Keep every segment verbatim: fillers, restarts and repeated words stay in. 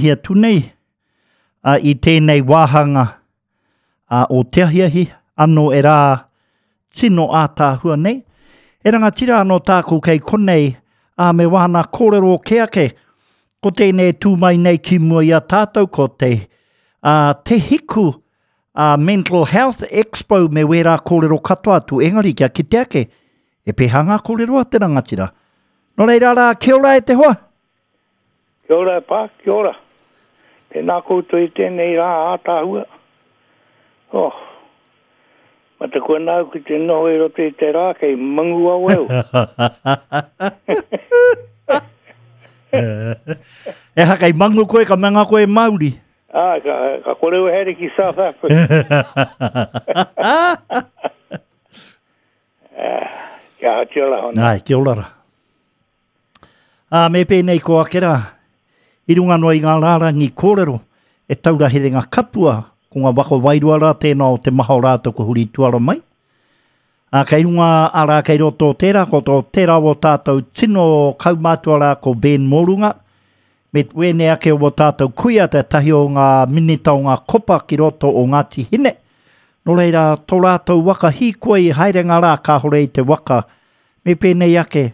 mihi atu nei uh, i tēnei wāhanga uh, o te ahiahi, anō e rā tino ātaahua nei. E rangatira anō tāku kei konei, uh, me wāna kōrero ke ake, ko tēnei tū mai nei ki mua i a tātou ko te, uh, te hiku uh, Mental Health Expo me wērā kōrero katoa atu, engari kia kite ake, e pēhā ngā kōrero a te rangatira. Nō reira rā, kia ora e te hoa? Kia ora e pā, kia ora. Tēnā koutou i tēnei rā ātaahua. Oh, mataku ana au ki te noho i roto i te rā, kei mangu au au. E ha, kei mangu koe, ka manga koe Māori. Ah, ka, ka kore au haere ki South Africa. Ah, kia aha, kia ora hona. Nai, kia ora rā. Ā, me pēnei ko ake rā, i runga noa i ngā rārangi kōrero, e taura herenga kapua, ko ngā waka wairua rā tēnā o te maha o rātou ko huri tuara mai. Ā, kei runga arā kei roto o tērā, ko tō tērā o tātou tino kaumātua rā ko Ben Morunga, me wēnei ake o tātou kuia te tahi o ngā minita o ngā kopa ki roto o Ngāti Hine. Nō reira, tō rātou waka hīkoi i haerenga rā kāhore i te waka. Me pēnei ake,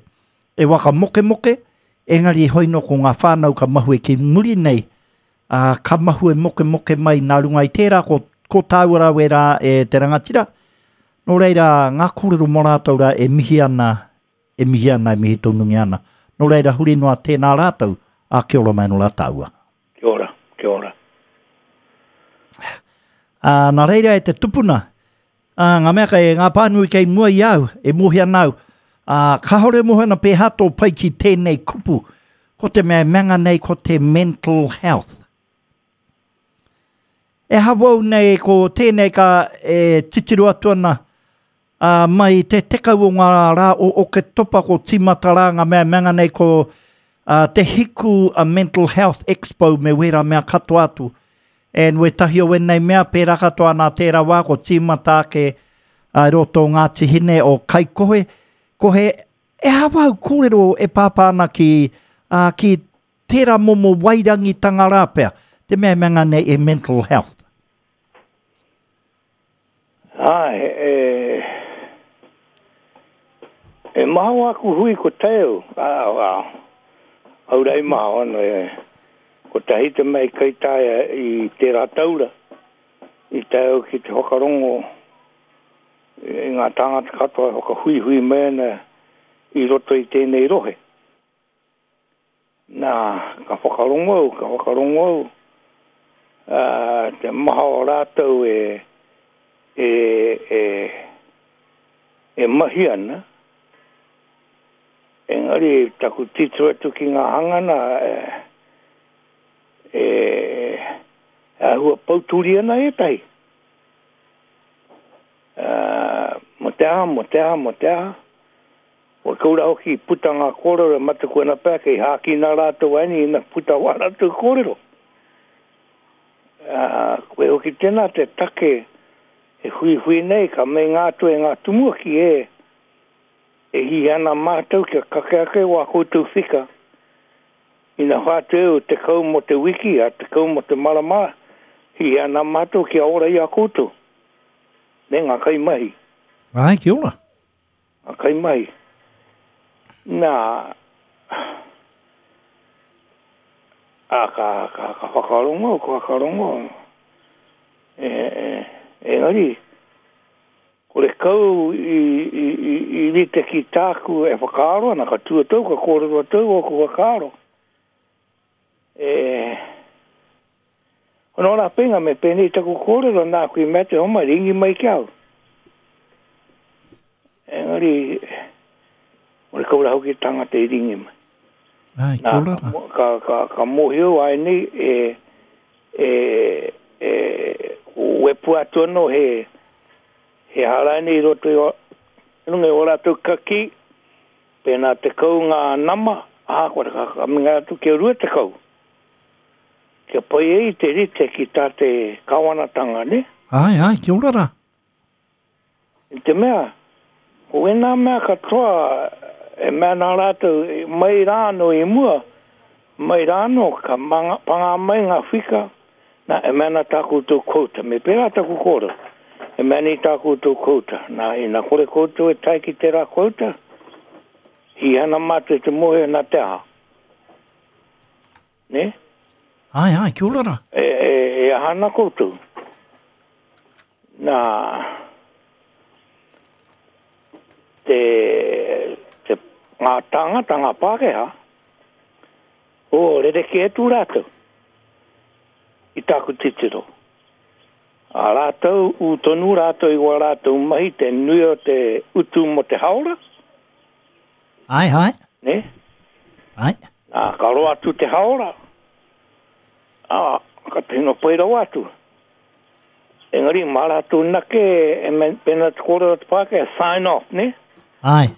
e waka mokemoke, engari hoi no ko ngā whānau ka mahue ki muri nei, ā, ka mahue mokemoke mai nā runga i tērā ko, ko tāua rā wērā e te rangatira. Nō reira, ngā kōrero mō rātou rā e mihi ana, e mihi ana, e mihi tonungi ana. Nō reira, huri noa tēnā rātou, ā, kia ora mai nō rā tāua. Kia ora, kia ora. Ā, nā reira e te tupuna, ā, ngā mea kei, ngā pānui kei mua i au, e mōhio ana au, ā, kāore mōhio ana pēhā tō pai ki tēnei kupu, ko te mea e manga nei ko te mental health. E hawau nei ko tēnei ka e titiro atu ana, ā, mai te tekau o ngā rā o Oketopa ko tīmata rā ngā mea e manga nei ko, ā, te hiku a Mental Health Expo me wērā mea katoa atu. And wētahi o wēnei mea pērā katoa nā tērā wā ko tīmata ake a roto o Ngāti Hine o Kaikohe. Kohe, e hawau kōrero e pāpā ana ki, ā, ki tērā momo wairangitanga rā pea, te mea e manga nei e mental health. Ai, e, e maha o aku hui ko teo, ā, ā, aurei maha ana e, ko tahi te mea i kaitaia i tērā taura, i taeo ki te whakarongo i ngā tāngata katoa e whakahuihui mai ana i roto i tēnei rohe. Nā, ka whakarongo au, ka whakarongo au, ā, te maha o rātou e, e, e, e mahi ana, engari taku titiro atu ki ngā hangana, e, e, āhua pauturi ana ētahi. Ā, mo te aha, mo te aha, mo te aha. Kua kaura hoki puta ngā kōrero e mataku ana pea kei hākina rātou aini ina puta wā rātou kōrero. Ā, koe hoki tēnā te take e huihui nei ka meinga atu e ngā tumuaki e, e hihi ana mātou kia kake ake wā koutou whika. Ina whātu e o tekau mō te wiki, a tekau mō te marama, hihi ana mātou kia ora i a koutou. Me ngā kaimahi. Ai, kia ora. Ngā kaimahi. Nā, ā, ka, ka, ka whakarongo, ka whakarongo. E, e, engari, kore kau i, i, i, i rite ki tāku e whakaaro ana, ka tuatau, ka kōrero atu ōku whakaaro. E, hono rā penga me pēnei taku kōrero nāku i mea te homa, ringi mai ki au. Engari, ore kau rā hoki tangata i ringi mai. Ai, Nā, kia ora ka rā. mo-, ka, ka, ka mōhio ai nei e, e, e, wepu atu anō he, he haraini i roto i o, runga i o rātou kaki, pēnā tekau ngā nama, ahakoa ka, ka minga atu kia rua tekau. Kia pai ai te rite ki tā te kāwanatanga, ne? Ai, ai, kia ora rā. I te mea, ko wēnā mea katoa e mea nā rātou mai rā anō i mua, Mai rāno, ka manga, panga mai ngā whika, nā, e mea tā koutou kouta. Me pērā taku kōrero. E mea nei tā koutou kouta. Nā, ina kore koutou e tae ki tērā kouta, hi ana mātou te mohe nā te aha. Ne? Ai, ai, kia ora rā. E, e, e aha ana koutou. Nā, te, te ngā tāngata, ngā Pākehā, o, rerekē atu rātou i tāku titiro. A rātou, ū tonu rātou i wā rātou mahi te nui o te utu mo te haora. Ai, ai. Ne? Ai. Nā, ka roa atu te haora. Ā, ka tino pai rawa atu. Engari, mā rātou nake, e me, pena te kōrero te Pākehā, sign off, ne? Ai.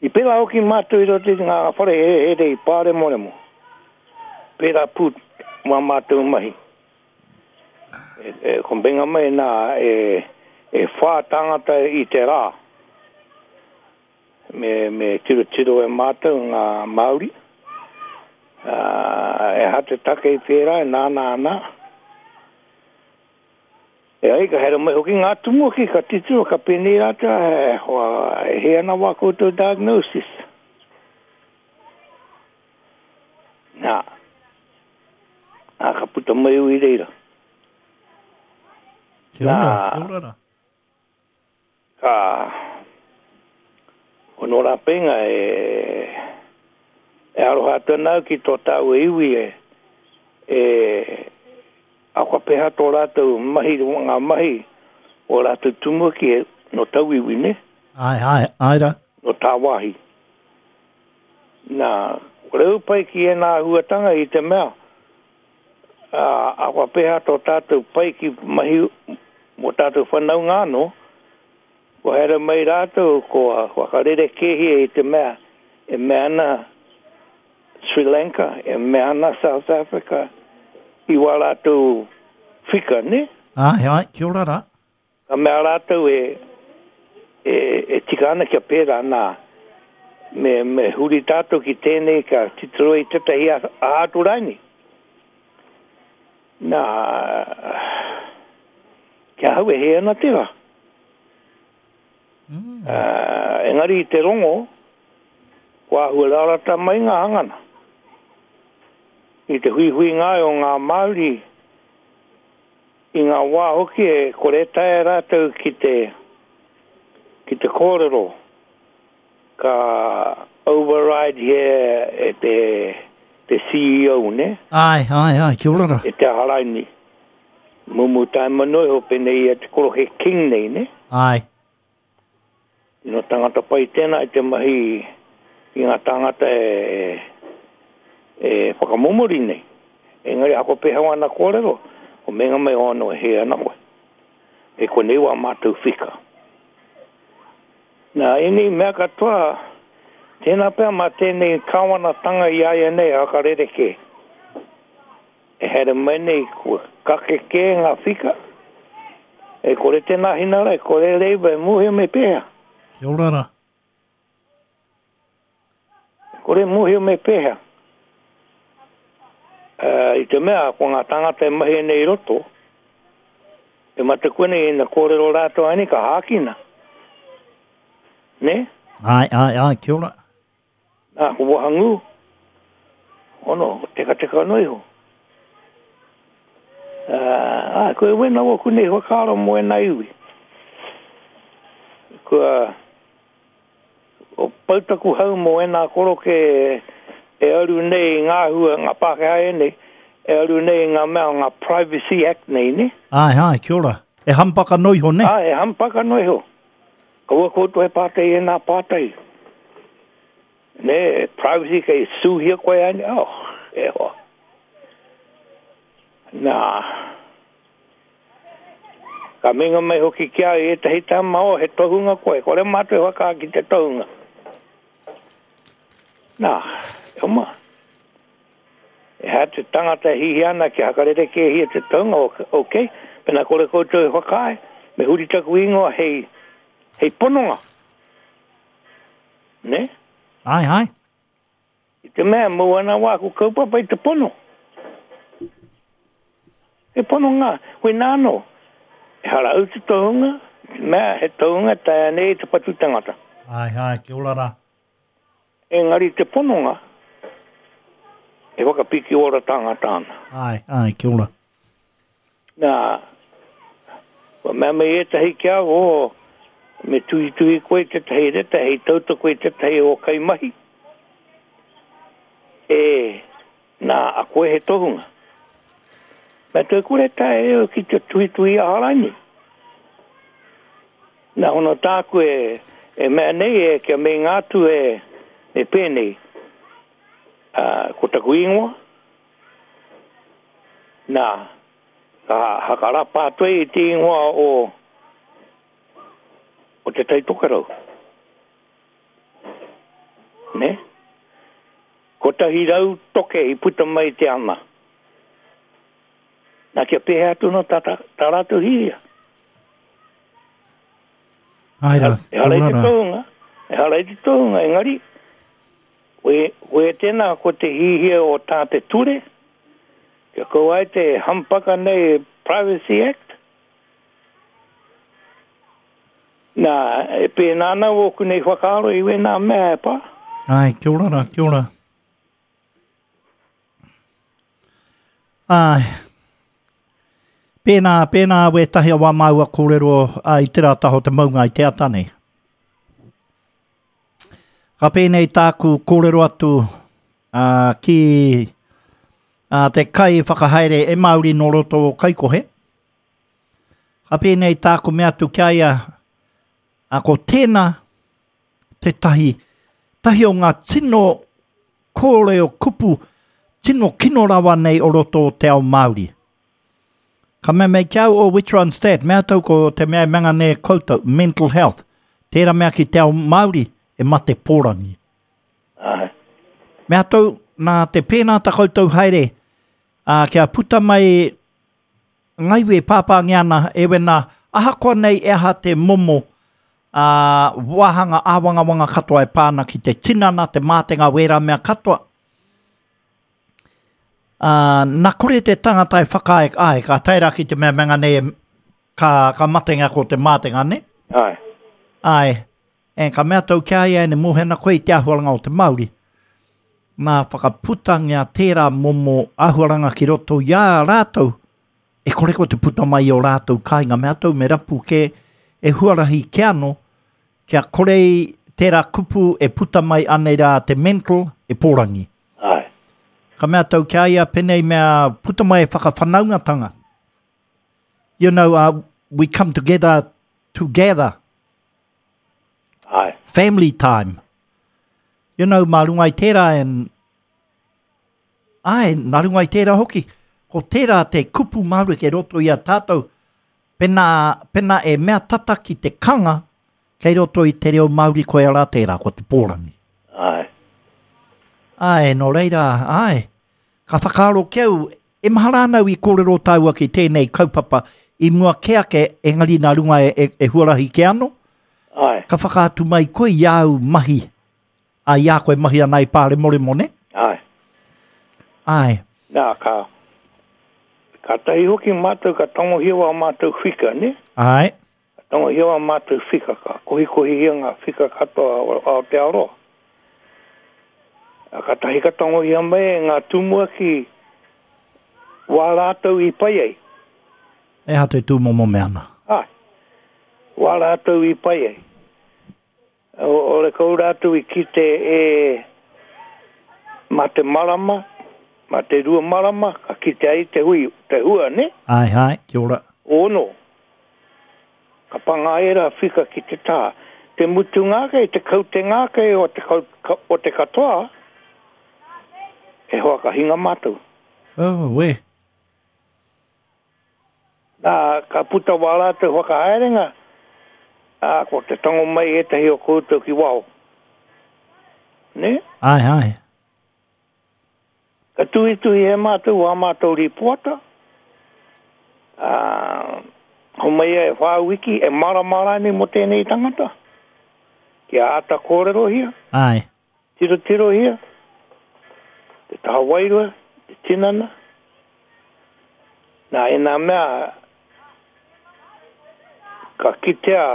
I pērā hoki mātou i roto i ngā whare here i Pāremoremo. Pērā pū mā mātou mahi. E, e, kombenga mai nā e, e whā tāngata i te rā. Me, me tiro tiro e mātou ngā Māori. Uh, e hate take i pērā e nā nā nā. E ai, ka here mai hoki ngā tumuaki, ka titiro, ka pēnei rātou, e, hoa, e he ana wā koutou diagnosis. Nā, nā, ka puta mai ui reira. Kia ora, Nā. kia ora rā. Ka, o nō rā penga e, e aroha atu ana au ki tō tāua iwi e, e, a kua peha tō rātou mahi, ngā mahi o rātou tumuaki e, no tauiwi, ne? Ai, ai, ai rā. No tāwāhi. Nā, kore au pai ki e nā huatanga i te mea, a, a kua peha tō tātou pai ki mahi mō tātou whanaunga anō, kua here mai rātou, kua whakarere kēhia i te mea, e mea ana Sri Lanka, e mea ana South Africa, i wā rātou whika, ne? Ai, ai, kia ora rā. Ka mea rātou e, e, e tika ana kia pērā nā. Me, me huri tātou ki tēnei ka titiro i tētahi a, a atu raini. Nā, kia hau e he ana tērā. Mm. Uh, engari i te rongo, kua āhua rarata mai ngā hangana. I te huihui ngā o ngā Māori, i ngā wā hoki e kore taea rātou ki te, ki te kōrero, ka override here e te, te C E O, ne? Ai, ai, ai, kia ora rā. E te aharaini. Mumu taima noi ho penei e te korohe King nei, ne? Ai. Tino tangata pai tēnā i te mahi i ngā tāngata e, e whakamomori nei. Engari ako peha wana kōrero, o menga mai ono e he ana koe. E konei wā mātou whika. Nā, ēnei mea katoa, tēnā pea mā tēnei kāwanatanga i aia nei hakarere kē. E here mai nei kua kake kē ngā whika. E kore tēnā hinara, e kore reiba, e muhio me pēhea. Kia ora rā. E kore muhio me pēhea. Uh, i te mea, ko ngā tāngata e mahi nei roto, e mataku nei ina kōrero rātou ani ka hākina. Ne? Ai, ai, ai, kia ora. Nā, ko wahangū. Ono, teka teka no iho. Uh, ai, ko e wena waku nei whakaaro mo e nā iwi. Kua, o pautaku hau mo e nā koroke e aru nei ngā hua, ngā Pākehā e nei, e aru nei ngā mea ngā Privacy Act nei, ne? Ai, ai, kia ora. E hampaka no iho, ne? Ai, e hampaka no iho. Kaua koutou he pātai e nā pātai. Ne, privacy kei suhia koe ai, oh, e hoa. Nā, ka minga mai hoki kia i ētahi tama o he tohunga koe, kore mātou e whakā ki te tohunga. Nā, e oma. E hea te tangata e hihi ana ki hakarere ke hia te tohunga, ok, pena kore koutou e whakaae, me huri taku ingoa hei, hei pononga. Ne? Ai, ai. I te mea mau ana wāku kaupapa i te pono. E pono ngā, hoi nāno, e hara au te tohunga, te mea he tohunga taea nei te patu tangata. Ai, ai, kia ora rā. Engari te pononga, e whakapiki ora tangata ana. Ai, ai, kia ora. Nā, kua mea mai ētahi ki au, o, me tuhituhi koe tētahi reta, hei tautoko i tētahi o kaimahi. E, nā, a koe he tohunga. Mea toi kore tae e au ki te tuhituhi a haraini. Nā hono tāku e, e mea nei e kia mei ngātu e, e pēnei. Uh, ko taku ingoa. Nā, ka hakarapa atu i te ingoa o, o te Tai Tokerau. Ne? Kotahi rau toke i puta mai te ana. Nā kia pēhea atu no tā, tā, tā rātou hia. Ai rā, E hara i te tohunga, e hara i te tohunga, engari, we, we tēnā ko te hihia o tā te ture, kia kau ai te hampaka nei Privacy Act. Nā, e pēnā ana wōku nei whakaaro i wēnā mea e pā. Ai, kia ora rā, kia ora. Ai, pēnā, pēnā wētahi a wā māua kōrero a, i te rā taho te maunga i te ata nei. Ka pēnei tāku kōrero atu a, ki a, te kai whakahaere e Māori nō roto o Kaikohe. Ka pēnei tāku mea atu ki a ia, a, ko tēnā te tahi, tahi o ngā tino kōrero kupu, tino kino rawa nei o roto o te ao Māori. Ka mea mei ki au o which one's that? Mea tau ko te mea e manga nei koutou, mental health. Tērā mea ki te ao Māori e mate pōrangi. Ai. Mea tau, nā te pēnā ta koutou haere, ā, kia puta mai ngaiwe pāpāngi ana, e wena, ahakoa nei e aha te momo, ā, wāhanga āwangawanga katoa e pāna ki te tinana, te mātenga wērā mea katoa. Ā, nā kore te tangata e whakaae, ai, ka tae rā ki te mea manga nei, ka, ka matenga ko te mātenga, ne? Ai. Ai, e, ka mea tau kia ia ene mōhena koe i te ahuaranga o te Māori. Nā whakaputangia tērā momo ahuaranga ki roto i a rātou, e kore ko te puta mai o rātou kāinga, mea tau me rapu ke e huarahi ke ano, kia kore i tērā kupu e puta mai anei rā te mental e pōrangi. Ai. Ka mea tau kia ia penei mea puta mai e whakawhanaungatanga. You know, uh, we come together together. Ai. Family time. You know, mā runga i tērā and ai, nā runga i tērā hoki. Ko tērā te kupu Māori kei roto i a tātou, pena, pena e mea tata ki te kanga, kei roto i te reo Māori koe ara tērā, ko te pōrangi. Ai. Ai, nō reira, ai. Ka whakaaro ki au, e mahara ana au i kōrero tāua ki tēnei kaupapa, i mua ke ake, engari nā runga e, e, e huarahi ke ano. Ai. Ka whakaatu mai koe i au mahi, a i a koe mahi ana i Pāremoremo, ne? Ai. Ai. Nā, ka, ka tahi hoki mātou, ka tangohia wā mātou whika, ne? Ai. Ka tangohia wā mātou whika, ka kohikohihia ngā whika katoa o Aotearoa. A ka tahi ka tangohia mai e ngā tumuaki wā rātou i pai ai. E ha te tūmomo mea ana. Ai. Wā rātou i pai ai. O, o le kau rātou i kite e mā te marama, mā te rua marama, ka kite ai te hui, te hua, ne? Ai, ai, kia ora. Ono. Ka panga era whika ki te tā. Te mutu ngākei, te kaute ngākei o te, kau, ka, o te katoa, e hoa ka hinga mātou. Oh, we. Nā, ka puta wā rātou whakahaerenga, ā, ko te tango mai ētahi o koutou ki wao. Ne? Ai, ai. Ka tuhituhi e mātou wā mātou ripoata. Ā, ho mai e whā wiki e maramara nei mo tēnei tangata. Kia āta kōrerohia. Ai. Tirotirohia. Te taha wairua, te tinana. Nā, e nā mea, ka kitea,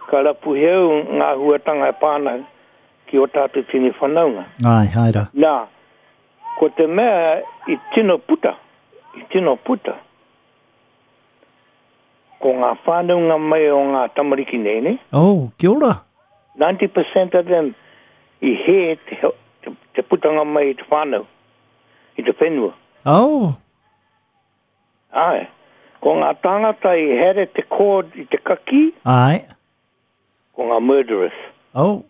ka rapu heu ngā huatanga e pāna ki o tātou tini whanaunga. Ai, haere. Nā, ko te mea i tino puta, i tino puta, ko ngā whānaunga mai o ngā tamariki nei, ne? Oh, kia ora. ninety percent of them i he te, te, te putanga mai i te whānau, i te whenua. Oh. Ai, ko ngā tāngata i here te cord i te kaki. Ai. Ko ngā murderers. Oh.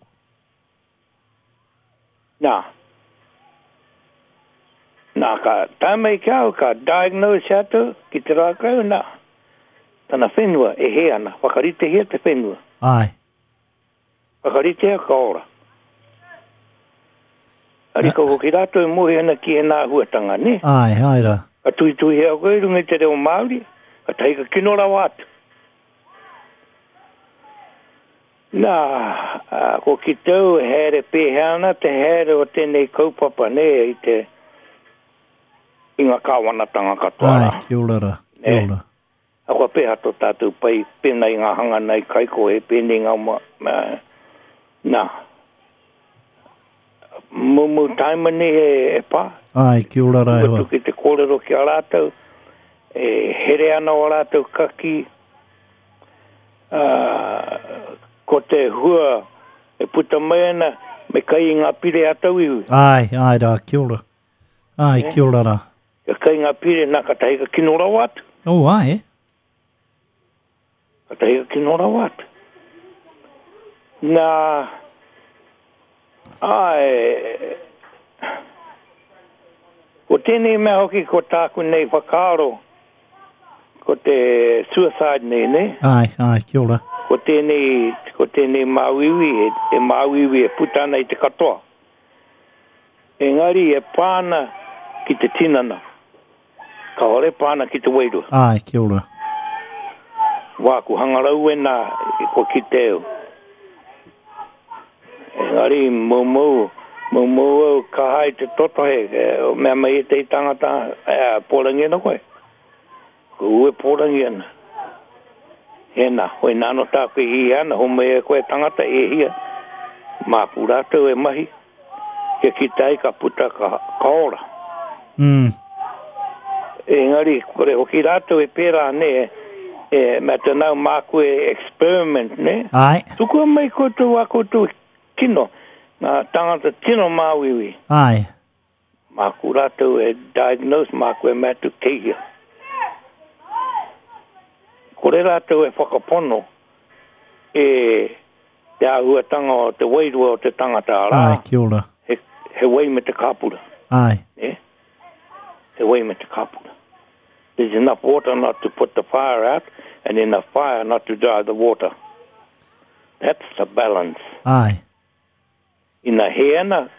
Nā. Nā, ka tae mai ki au, ka diagnose atu ki te rākau, nā. Tana whenua e he ana, whakaritehia te whenua. Ai. Whakaritea ka ora. Arika hoki rātou e mohi ana ki e nā huatanga, ne? Ai, ai rā. Ka tuitui hea koe i runga i te reo Māori, ka tahi ka kino rawa atu. Nā, ko ki tau here pēhea ana te here o tēnei kaupapa, ne, i te i ngā kāwanatanga katoa rā. Ai, kia ora rā, kia ora. A kua pēhea tō tātou pai pēnā i ngā hanga nei kaiko e pēnei ngā ma, ma, nā. Mumu taima nei e, e pā. Ai, kia ora rā e hoa. Ki te kōrero ki a rātou, e here ana o rātou kaki, uh, ko te hua e puta mai ana, me kai i ngā pire a tauiwi. Ai, ai rā, kia ora. Ai, kia ora rā. Ka kai ngā pire, nā, ka tahi ka kino rawa atu. Oh, ai. Ka tahi ka kino rawa atu. Nā, ai, ko tēnei mea hoki ko tāku nei whakaaro, ko te suicide nei, ne? Ai, ai, kia ora. Ko tēnei, ko tēnei māuiui, e, e māuiui e puta ana i te katoa. Engari e pāna ki te tinana. Ka hore pāna ki te wairua. Ai, kia ora. Wā, ku hangarau e nā, ko ki te au. Engari, moumou, moumou au ka hai te totohe, mea mai e te tangata, e, pōrangi ana koe. Ko ue pōrangi ana. Hena, hoi nāno tāku i hi ana, homai e koe tangata e hia. Māku rātou e mahi, kia ki tai ka puta ka, ka ora. Mm. Engari, kore hoki rātou e pērā, ne, e, mea te nau māku e experiment, ne? Ai. Tukua mai koutou a koutou kino, ngā tangata tino māuiui. Ai. Māku rātou e diagnose, māku e mātu keia. Kore rātou e whakapono e te āhuatanga o te wairua o te tangata arā. Ai, kia ora. He, he wai me te kāpura. Ai. Eh? He wai me te kāpura. There's enough water not to put the fire out and enough fire not to dry the water. That's the balance. Ai. Ina he ana,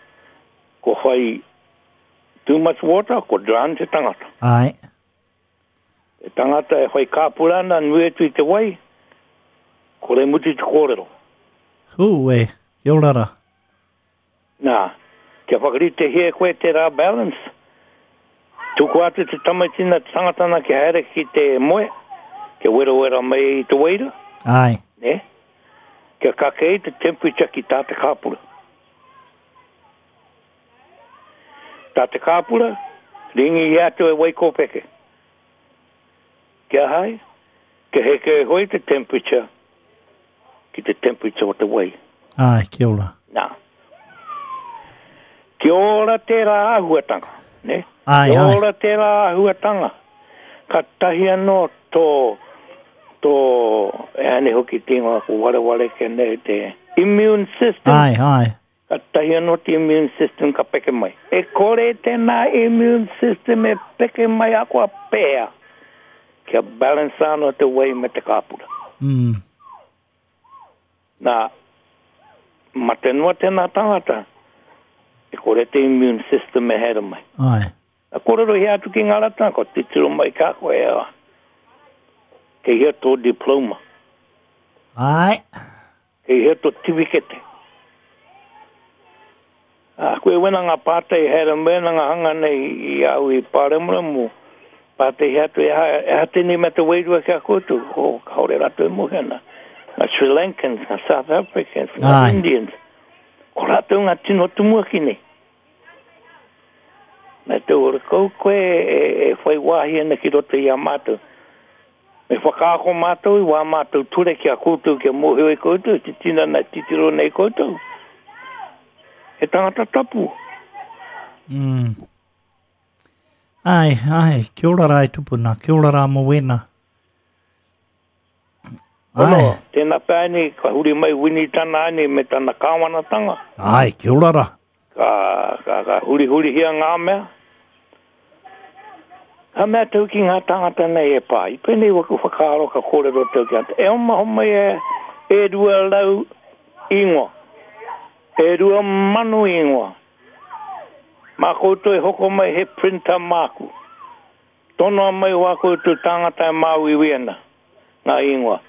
ko whai too much water, ko drown te tangata. Ai. Te tangata e whai kāpura ana, nui atu i te wai, kore mutu te kōrero. Hū, e, kia ora rā. Nā, kia whakarite hea koe te rā balance. Tuku atu te tamaitina te tangatana kia haere ki te moe, kia werawera mai i te waira. Ai. Ne? Kia kake i te temperature ki tā te kāpura. Tā te kāpura, ringi i atu e waikōpeke. Kia hai, kia heke e hoi te temperature ki te temperature o te wai. Ai, kia ora. Nā. Kia ora tērā āhuatanga, ne? Ai, kia ai. ora tērā āhuatanga. Ka tahi anō tō, tō, e ane hoki te ingoa ko wareware ke nei te immune system. Ai, ai. Ka tahi anō te immune system ka peke mai. E kore tēnā immune system e peke mai a kua pēa. Kia balance anō te wai me te kāpura. Mm. Nā, mate noa tēnā tangata, e kore te immune system e here mai. Ai. Nā kōrero hea atu ki ngā ratanga, ko titiro mai kā koe e a. Kei hea tō diploma. Ai. Kei hea tō tiwikete. A koe wena ngā pātai here mena ngā hanga nei i au i Pāremuremu. Pātai he atu e ha, e ha tēnei me te wairua ki a koutou. O, kaore rātou e mohi ana. Ngā Sri Lankans, ngā South Africans, ngā Ai. Indians. Ko rātou ngā tino tumuaki nei. Nā te ora kau koe e, e whai wāhi ana ki roto i a mātou. Me whakaako mātou i wā mātou ture ki a koutou, kia mōhio i koutou, te tinana titiro nei koutou. He tangata tapu. Mm. Ai, ai, kia ora rā e tupuna, kia ora rā mō wena. Ai, Ono, tēnā pēni, ka huri mai wini tana ani me tana kāwanatanga. ai, kia ora rā. Ka, ka, ka huri huri hia ngā mea. Ka mea tau ki ngā tangata nei e pā. I pēnei waku whakaaro ka kōrero tau ki ata. E oma homai e, e rua lau ingoa. E rua mano ingoa. Mā koutou e hoko mai he printer māku. Tonoa mai wā koutou tangata e māuiwi ana. Ngā ingoa.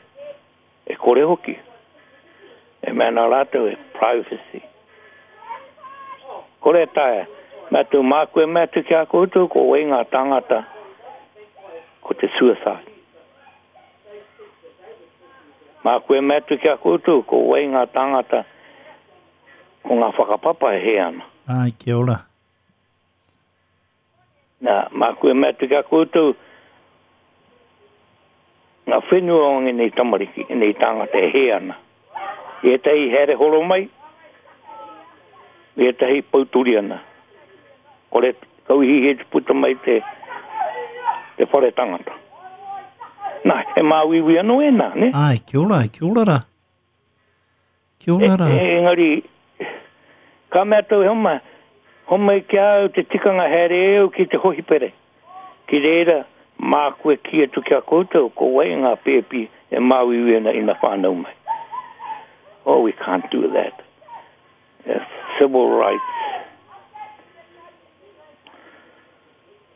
E kore hoki. E mea nā rātou e privacy. Kore taea. Mea tū māku e mea tu ki a koutou, ko wei ngā tangata, ko te suicide. Māku e mea tu ki a koutou, ko wei ngā tangata, ko ngā whakapapa e he ana. Ai, kia ora. Nā, māku e mea tu ki a koutou, ngā whenua o ngēnei tamariki, ngēnei tangata e he ana. I ētahi here horo mai, i ētahi pauturi ana. Kore kauhi he te puta mai te, te whare tangata. Nā, he māuiui anō e nā, ne? Ai, kia ora, kia ora rā. Kia ora rā. E, e, engari, ka mea tau homa, homa i ki au te tikanga here au ki te hohipere. Ki reira, māku e ki atu ki a koutou, ko wai ngā pēpi e māuiui ana ina whānau mai. Oh, we can't do that. Yes, civil rights.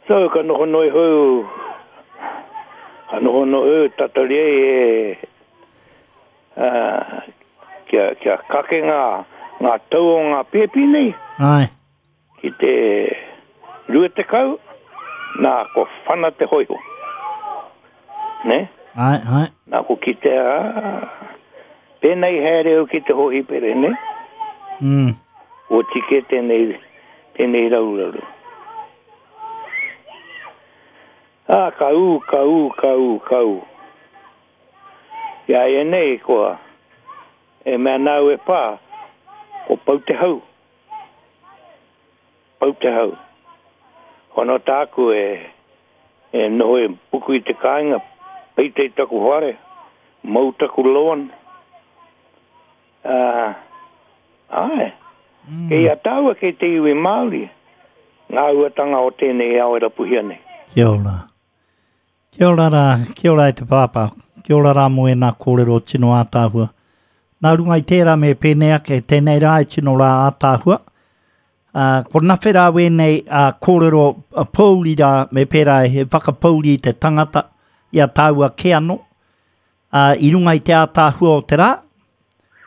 So, ka noho noi hou, ka noho noi hou tatari e, uh, kia, kia kake ngā, ngā tau o ngā pēpi nei, Ai, ki te rua tekau, nā ko whana te hoiho. Ne? ai, ai. Nā ko ki te, ah, pēnei haere au ki te hohipere, ne? Mm. O tike tēnei, tēnei rauraru. Ah, ka ū, ka ū, ka ū, ka ū. Ia e nei koa, e mea nāu e pā, ko pau te hau. Pau te hau. Hono tāku e, e noho e puku i te kāinga, peite i taku whare, mau taku loan. Ah, ai, Mm. kei a tāua kei te iwi Māori, ngā uatanga o tēnei ao e rapuhia nei. Kia ora. Kia ora rā, kia ora e te pāpā. Kia ora rā mō e nā kōrero tino ātāhua. Nā runga i tērā me pēnei ake, tēnei rā e tino rā ātāhua. Uh, ko nawhe rā wēnei uh, kōrero uh, pōuri rā me pērā he whakapōuri i te tangata i a tāua ke anō. Uh, i runga i te ātāhua o te rā,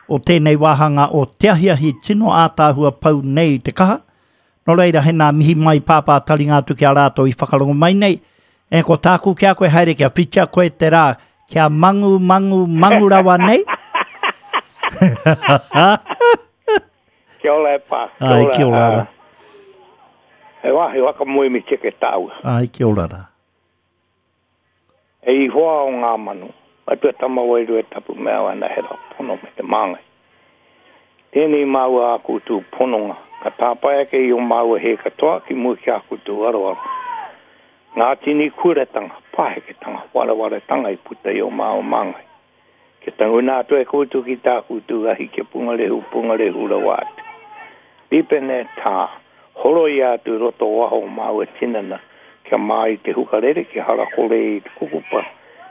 o tēnei wāhanga o te ahiahi tino ātāhua pau nei i te kaha. Nō reira, he nā mihi mai pāpā taringa atu ki a rātou i whakarongo mai nei. E ko tāku ki a koe haere kia whitia koe te rā, kia mangu, mangu, mangu rawa nei. Kia ora e pā. Ai, kia ora rā. He wā, he waka moe me teke tāua. Ai, kia ora rā. E i hoa o ngā manu, atua tama wairua tapu mea ana he rā pono me te māngai. Tēnei māua a koutou pononga, ka tāpae ake i o māua he katoa ki mua ki a koutou aroaro. Ngā tini kuretanga, pāheketanga, warawaretanga i puta i o māua māngai. Kia tanguna atu e koutou ki tā koutou ahi kia pungarehu, pungarehu rawa atu. Ripene tā, horo i atu roto waho o māua tinana, kia mā i te hukarere, kia harakore i te kukupa,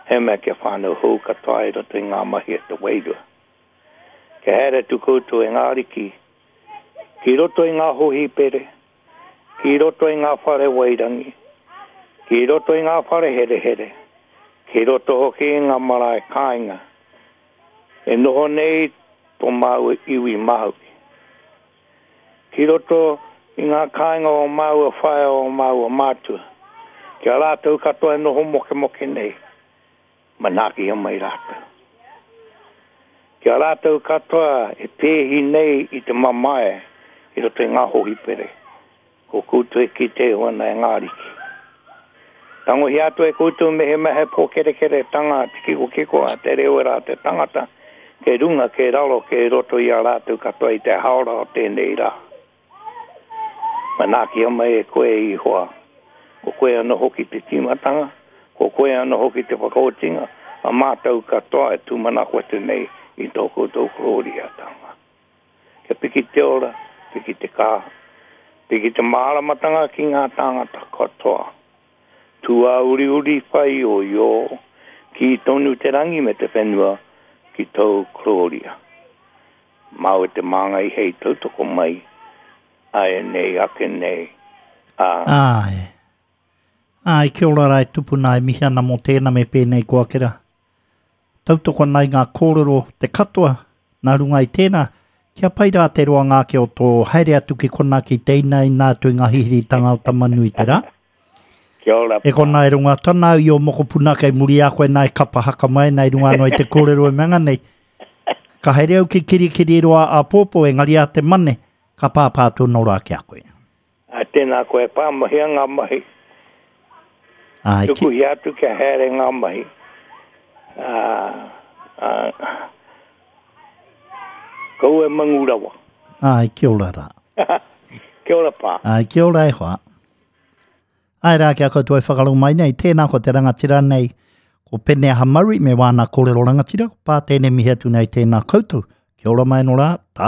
he mea kia whānau hou katoa i roto i ngā mahi e te wairua. Kia haere tu koutou e ngā ariki, ki roto i ngā hohipere, ki roto i ngā whare wairangi, ki roto i ngā whare herehere, ki roto hoki i ngā marae kāinga, e noho nei tō māua iwi Māori. Ki roto i ngā kāinga o māua whaea o māua mātua. Ki a rātou katoa e noho mokemoke nei, manaakihia mai rātou. Ki a rātou katoa e pēhi nei i te mamae i roto i ngā hohipere, ko koutou e kite iho ana e ngā ariki. Tangohia atu e koutou mehemea he pōkerekeretanga te kikokiko a te rewera a te tangata, kei runga, kei raro, kei roto i a rātou katoa i te haora o tēnei rā. Manaakia mai e koe i hoa. Ko koe anō hoki te tīmatanga, ko koe anō hoki te whakaotinga, a mātou katoa e tūmanako atu nei i tō koutou korōriatanga. Kia piki te ora, piki te kaha, piki te māramatanga ki ngā tāngata katoa. Tūāuriuri whāioio, kī tonu te rangi me te whenua ki tōu korōria. Māu e te māngai hei tautoko mai, āianei ake nei, ā. Āe. Āe, kia ora rā e tupuna e mihi ana mō tēnā me pēnei koa ake rā. Tautoko ana i ngā kōrero te katoa, nā runga i tēnā, kia pai rā te roanga ake o tō haere atu ki konā ki te inaina atu i ngā hihiritanga o Tamanuiterā. Kia ora, E konā e rongo atu ana au i ō mokopuna kei muri i a koe nā e kapa haka mai ana i runga anō i te kōrero e mea nei. Ka haere au ki Kirikiriroa āpōpō engari a te mane, ka pāpā atu anō rā ki a koe. Ā, tēnā koe, pā mahia ngā mahi. Āe, ki... Tukuhia atu kia haere ngā mahi. Ā, ā, kaua e mangu rawa. Āe, kia ora rā. Kia ora pā. Āe, kia ora e hoa. Āe rā, kia koutou e whakarongo mai nei, tēnā ko te rangatira nei, ko Peneaha Murray me wāna kōrero rangatira, ko pā tēnei mihi atu nei tēnā koutou. Kia ora mai anō rā, tā.